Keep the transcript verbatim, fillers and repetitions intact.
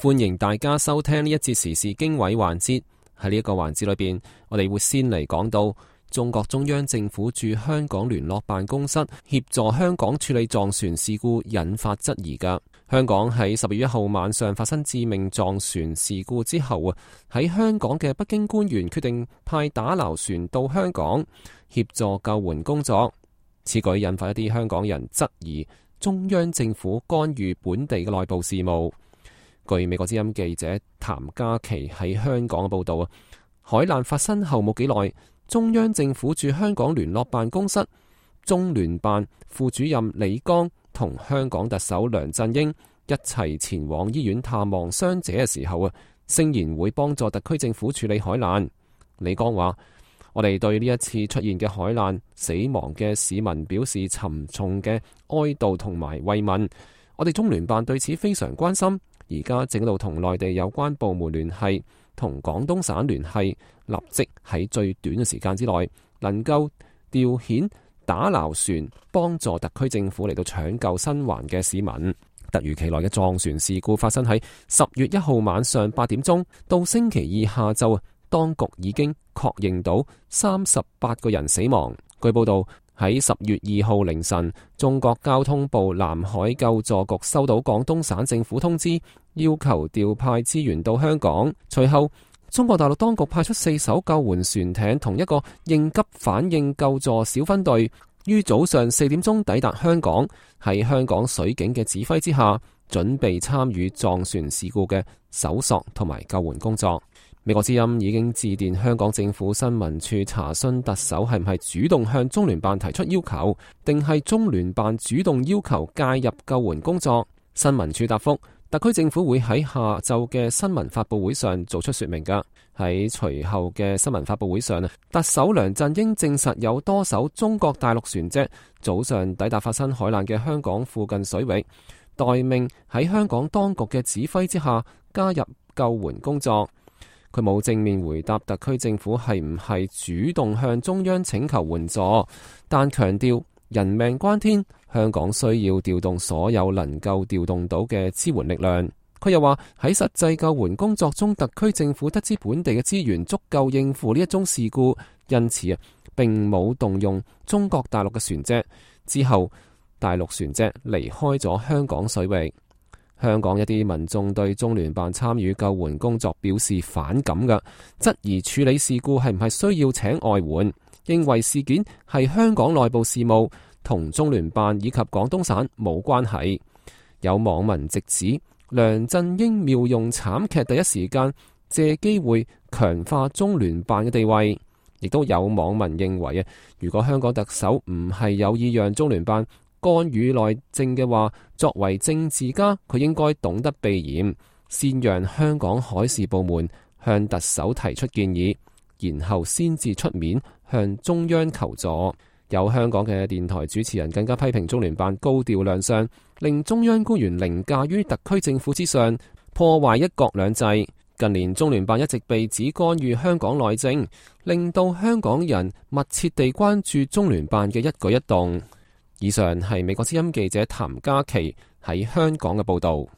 歡迎大家收聽呢一節時事經緯環節。喺呢一個環節裏邊，我哋會先嚟講到中國中央政府駐香港聯絡辦公室協助香港處理撞船事故引發質疑㗎。香港喺十月一號晚上發生致命撞船事故之後啊，喺香港嘅北京官員決定派打撈船到香港協助救援工作。此舉引發一啲香港人質疑中央政府干預本地嘅內部事務。據美國之音記者譚嘉琪喺香港嘅報道啊，海難發生後冇幾耐，中央政府駐香港聯絡辦公室中聯辦副主任李剛同香港特首梁振英一齊前往醫院探望傷者嘅時候啊，聲言會幫助特區政府處理海難。李剛話：我哋對呢一次出現嘅海難死亡嘅市民表示沉重嘅哀悼同埋慰問，我哋中聯辦對此非常關心。而家正喺度同內地有關部門聯繫，同廣東省聯繫，立即喺最短嘅時間之內能夠調遣打撈船幫助特區政府嚟到搶救生還嘅市民。突如其來嘅撞船事故發生喺十月一號晚上八點鐘，到星期二下晝，當局已經確認到三十八個人死亡。據報道，喺十月二號凌晨，中國交通部南海救助局收到廣東省政府通知，要求調派資源到香港。隨後，中國大陸當局派出四艘救援船艇同一個應急反應救助小分隊，於早上四點鐘抵達香港，喺香港水警嘅指揮之下，準備參與撞船事故嘅搜索同埋救援工作。美國之音已經致電香港政府新聞處查詢特首係唔係主動向中聯辦提出要求，定係中聯辦主動要求介入救援工作。新聞處答覆，特區政府會喺下晝嘅新聞發佈會上做出說明㗎。喺隨後嘅新聞發佈會上啊，特首梁振英證實有多艘中國大陸船隻早上抵達發生海難嘅香港附近水域，待命喺香港當局嘅指揮之下加入救援工作。佢冇正面回答特區政府係唔係主動向中央請求援助，但強調人命關天，香港需要調動所有能夠調動到嘅支援力量。佢又話喺實際救援工作中，特區政府得知本地嘅資源足夠應付呢一宗事故，因此啊並冇動用中國大陸嘅船隻。之後，大陸船隻離開咗香港水域。香港一啲民眾對中聯辦參與救援工作表示反感嘅，質疑處理事故係唔係需要請外援，認為事件係香港內部事務，同中聯辦以及廣東省冇關係。有網民直指梁振英妙用慘劇，第一時間借機會強化中聯辦嘅地位。亦都有網民認為啊，如果香港特首唔係有意讓中聯辦干預內政嘅話，作為政治家，佢應該懂得避嫌，先讓香港海事部門向特首提出建議，然後先至出面向中央求助。有香港嘅電台主持人更加批評中聯辦高調亮相，令中央官員凌駕於特區政府之上，破壞一國兩制。近年中聯辦一直被指干預香港內政，令到香港人密切地關注中聯辦嘅一舉一動。以上係美國之音記者譚嘉琪喺香港嘅報道。